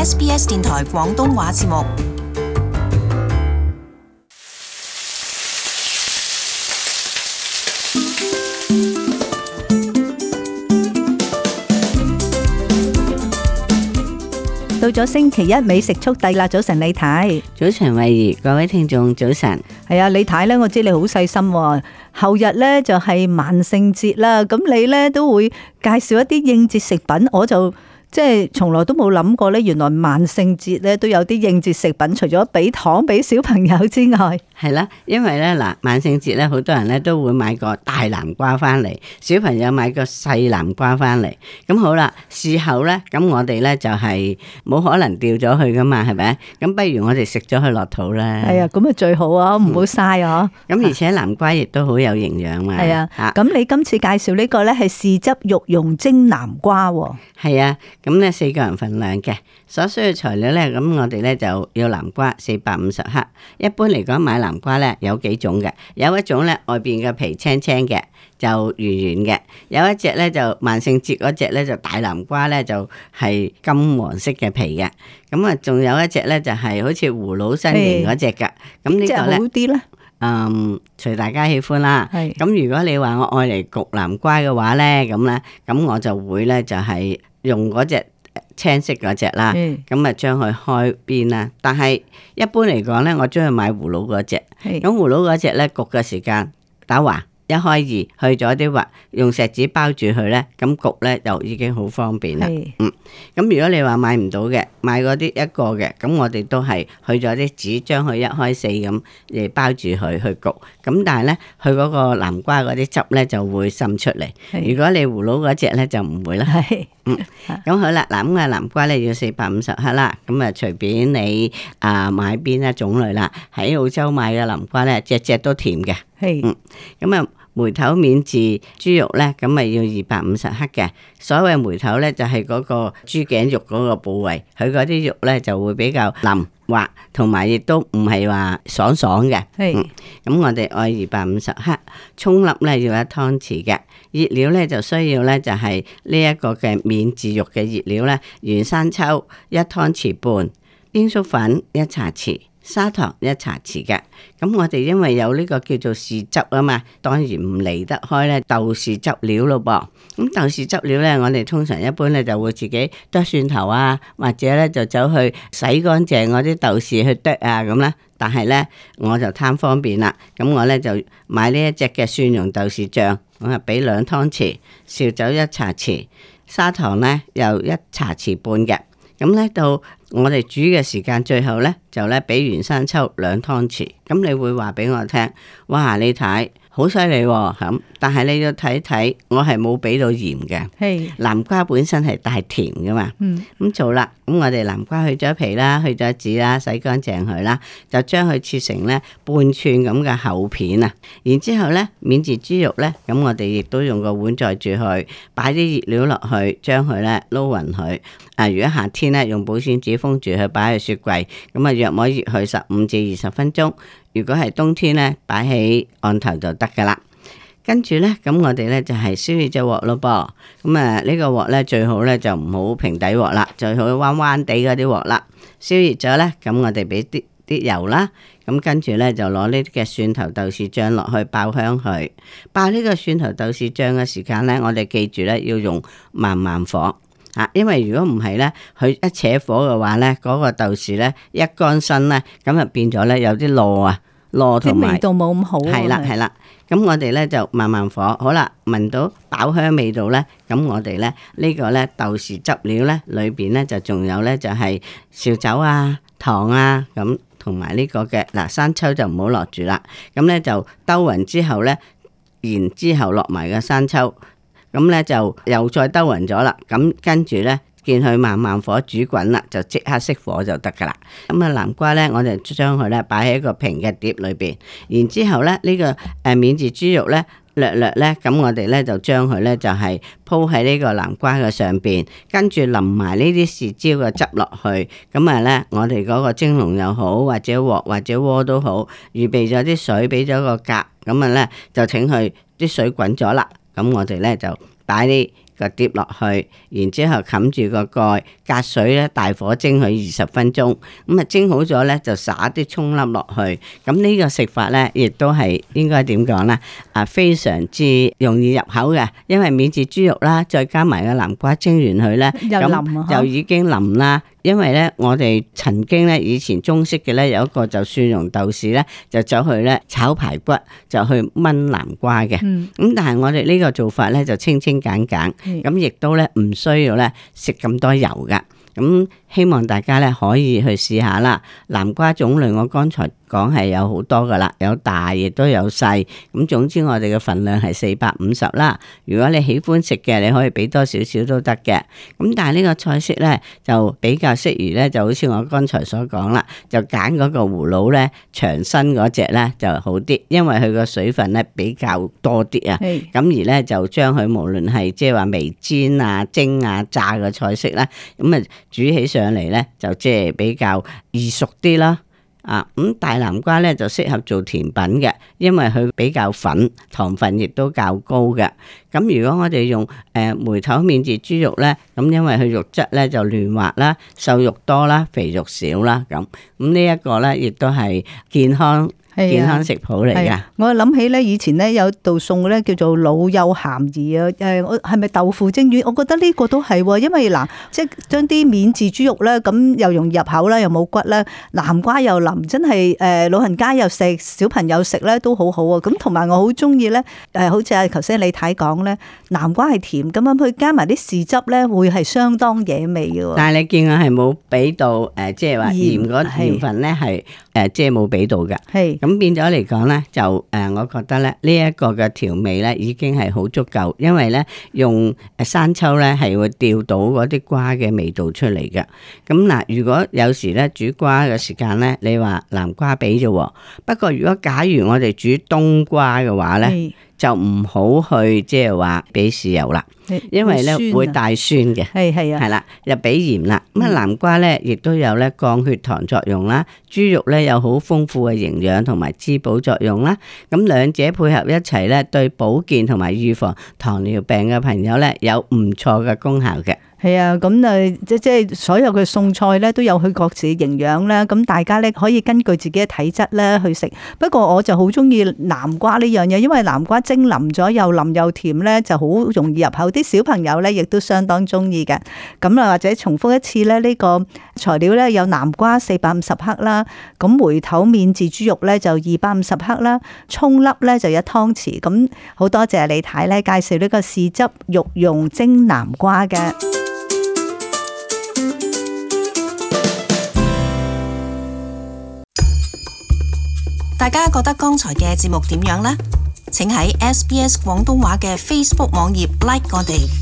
SBS 電台廣東話節目。到咗星期一美食速遞啦！早晨李太，早晨慧怡，各位聽眾早晨。係啊，李太咧，我知你好細心喎。後日咧就係萬聖節啦，咁你咧都會介紹一啲應節食品，我就即係從來都冇諗過咧，原來萬聖節咧都有啲應節食品，除咗俾糖俾小朋友之外，係啦，因為咧嗱，萬聖節咧好多人咧都會買個大南瓜翻嚟，小朋友買個細南瓜翻嚟。咁好啦，事後咧，咁我哋咧就係冇可能掉咗佢噶嘛，係咪？咁不如我哋食咗佢落肚啦。係啊，咁啊最好啊，唔好嘥啊。咁而且南瓜亦都好有營養嘛。係啊，咁你今次介紹呢個咧係豉汁肉蓉蒸南瓜喎。係啊，咁咧4個人份量嘅，所需嘅材料咧，咁我哋咧就要南瓜450克。一般嚟講買南瓜咧有幾種嘅，有一種咧外邊嘅皮青青嘅，就圓圓嘅；有一隻咧就萬聖節嗰隻咧就大南瓜咧就係金黃色嘅皮嘅。咁啊，仲有一隻咧就係好似葫蘆身形嗰隻㗎。咁呢個咧，好啲咧。隨大家喜歡啦。係。咁如果你話我愛嚟焗南瓜嘅話咧，咁我就會咧就係用嗰隻青色嗰隻啦。咁啊將佢開邊啦。但係一般嚟講咧，我中意買葫蘆嗰隻。咁葫蘆嗰隻咧焗嘅時間打橫一開二，去咗啲核，用錫紙包住佢咧，咁焗咧就已經好方便啦。咁如果你話買唔到嘅，買嗰啲一個嘅，咁我哋都係去咗啲紙，將佢一開四咁嚟包住佢去焗。咁但係咧，佢嗰個南瓜嗰啲汁咧就會滲出嚟。如果你葫蘆嗰隻咧就唔會啦。咁好啦，嗱咁啊南瓜咧要450克啦。咁啊隨便你買邊一種類啦。喺澳洲買嘅南瓜咧，隻隻都甜嘅。咁啊。梅頭免治豬肉咧，咁咪要250克嘅。所謂梅頭咧，就係嗰個豬頸肉嗰個部位，佢嗰啲肉咧就會比較腍滑，同埋亦都唔係話爽爽嘅。咁我哋愛250克，蔥粒咧要1湯匙嘅。熱料咧就需要咧就係呢一個嘅免治肉嘅熱料咧，原生抽1湯匙半，鷹粟粉1茶匙。砂糖1茶匙嘅。咁我哋因為有呢個叫做豉汁啊嘛，當然唔離得開咧豆豉汁料咯噃。咁豆豉汁料咧，我哋通常一般咧就會自己剁蒜頭啊，或者咧就走去洗乾淨嗰啲豆豉去剁啊咁啦。但係咧我就貪方便啦，咁我咧就買呢一隻嘅蒜蓉豆豉醬，我係俾2湯匙，紹酒1茶匙，砂糖咧又1茶匙半嘅。咁咧到我哋煮嘅時間，最後咧就咧俾原生抽2湯匙。咁你會話俾我聽，哇！你睇好犀利喎咁，但係你要睇睇，我係冇俾到鹽嘅。南瓜本身係帶甜噶嘛。咁做啦，咁我哋南瓜去咗皮啦，去咗籽啦，洗乾淨佢啦，就將佢切成咧半寸咁嘅厚片啊。然之後咧，免治豬肉咧，咁我哋亦都用個碗載住佢，擺啲熱料落去，將佢咧撈勻佢。如果夏天咧，用保鮮紙封住佢，擺喺雪櫃，咁啊約摸熱佢15至20分鐘。如果係冬天咧，擺喺案頭就得噶啦。跟住咧，咁我哋咧就係燒熱隻鑊咯噃。咁呢個鑊咧最好咧就唔好平底鑊啦，最好彎彎地嗰啲鑊啦。燒熱咗咧，咁我哋俾啲油啦。咁跟住咧就攞呢啲嘅蒜頭豆豉醬落去爆香佢。爆呢個蒜頭豆豉醬嘅時間咧，我哋記住咧要用慢慢火。因為如果唔係咧，佢一扯火嘅話咧，嗰個豆豉咧一乾身咧，咁就變咗咧有啲糯同埋味道冇咁好。係啦，咁我哋咧就慢慢火，好啦，聞到爆香味道咧，咁我哋咧呢個咧豆豉汁料咧裏邊咧就仲有咧就係紹酒啊、糖啊咁，同埋呢個嘅生抽就唔好落住啦，咁咧就兜勻之後咧，然之後落埋個生抽。咁咧就又再兜勻咗啦，咁跟住咧見佢慢慢火煮滾啦，就即刻熄火就得噶啦。咁南瓜咧，我哋將佢咧擺喺一個平嘅碟裏邊，然之後咧呢個免治豬肉咧略咧，咁我哋咧就將佢咧就係鋪喺呢個南瓜嘅上邊，跟住淋埋呢啲豉椒嘅汁落去。咁咧我哋嗰個蒸籠又好，或者鑊或者鍋都好，預備咗啲水，俾咗個格，咁咧就請佢啲水滾咗啦。咁我哋咧就擺啲個碟落去，然之後冚住個蓋，隔水咧大火蒸佢20分鐘。咁啊蒸好咗咧，就撒啲蔥粒落去。咁呢個食法咧，亦都係應該點講咧？非常之容易入口嘅，因為免治豬肉啦，再加埋個南瓜蒸完佢咧，咁就已經腍啦。因為咧，我哋曾經咧以前中式嘅咧有一個就蒜蓉豆豉咧，就走去咧炒排骨，就去炆南瓜嘅。咁但係我哋呢個做法咧就清清簡簡，咁亦都咧唔需要咧食咁多油噶。咁希望大家咧可以去試下啦。南瓜種類我剛才講係有好多噶啦，有大亦都有細。咁總之我哋嘅份量係450啦。如果你喜歡食嘅，你可以俾多少少都得嘅。咁但係呢個菜式咧就比較適宜咧，就好似我剛才所講啦，就揀嗰個葫蘆咧長身嗰隻咧就好啲，因為佢個水分咧比較多啲啊。咁而咧就將佢無論係即係話微煎啊、蒸啊、炸嘅菜式啦，咁啊煮起上嚟咧就即係比較易熟啲啦。咁大南瓜咧就適合做甜品嘅，因為佢比較粉，糖分亦都較高嘅。咁如果我哋用梅頭免治豬肉咧，咁因為佢肉質咧就嫩滑啦，瘦肉多啦，肥肉少啦，咁呢一個咧亦都係健康食譜嚟㗎。我諗起咧，以前咧有道餸咧叫做老幼咸宜啊。係咪豆腐蒸魚？我覺得呢個都係，因為嗱，即係將啲免治豬肉咧，咁又容易入口啦，又冇骨啦，南瓜又腍，真係老人家又食，小朋友食咧都好好啊。咁同埋我好中意咧，好似頭先李太講咧，南瓜係甜，咁樣佢加埋啲豉汁咧，會係相當惹味嘅。但係你見我係冇俾到即係話鹽嗰鹽分咧係即係冇俾到㗎。咁變咗嚟講咧，就我覺得咧呢一個嘅調味咧已經係好足夠，因為咧用生抽咧係會調到嗰啲瓜嘅味道出嚟嘅。咁嗱，如果有時咧煮瓜嘅時間咧，你話南瓜俾啫，不過如果假如我哋煮冬瓜嘅話咧，就唔好去即係話俾豉油啦，因為咧會帶酸嘅。係啦，又俾鹽啦。咁南瓜咧亦都有咧降血糖作用啦，豬肉咧有好豐富嘅營養同埋滋補作用啦。咁兩者配合一齊咧，對保健同埋預防糖尿病嘅朋友咧有唔錯嘅功效嘅。係啊，咁即係所有嘅餸菜咧都有佢各自嘅營養啦。咁大家咧可以根據自己嘅體質咧去食。不過我就好中意南瓜呢樣嘢，因為南瓜蒸腍咗又腍又甜咧，就好容易入口。啲小朋友咧亦都相當中意嘅。咁或者重複一次咧，呢個材料咧有南瓜450克啦，咁梅頭免治豬肉咧就250克啦，蔥粒咧就1湯匙。咁好多謝李太咧介紹呢個豉汁肉蓉蒸南瓜嘅。大家覺得剛才嘅節目點樣呢？請喺SBS 廣東話嘅 Facebook 網頁 like 我哋。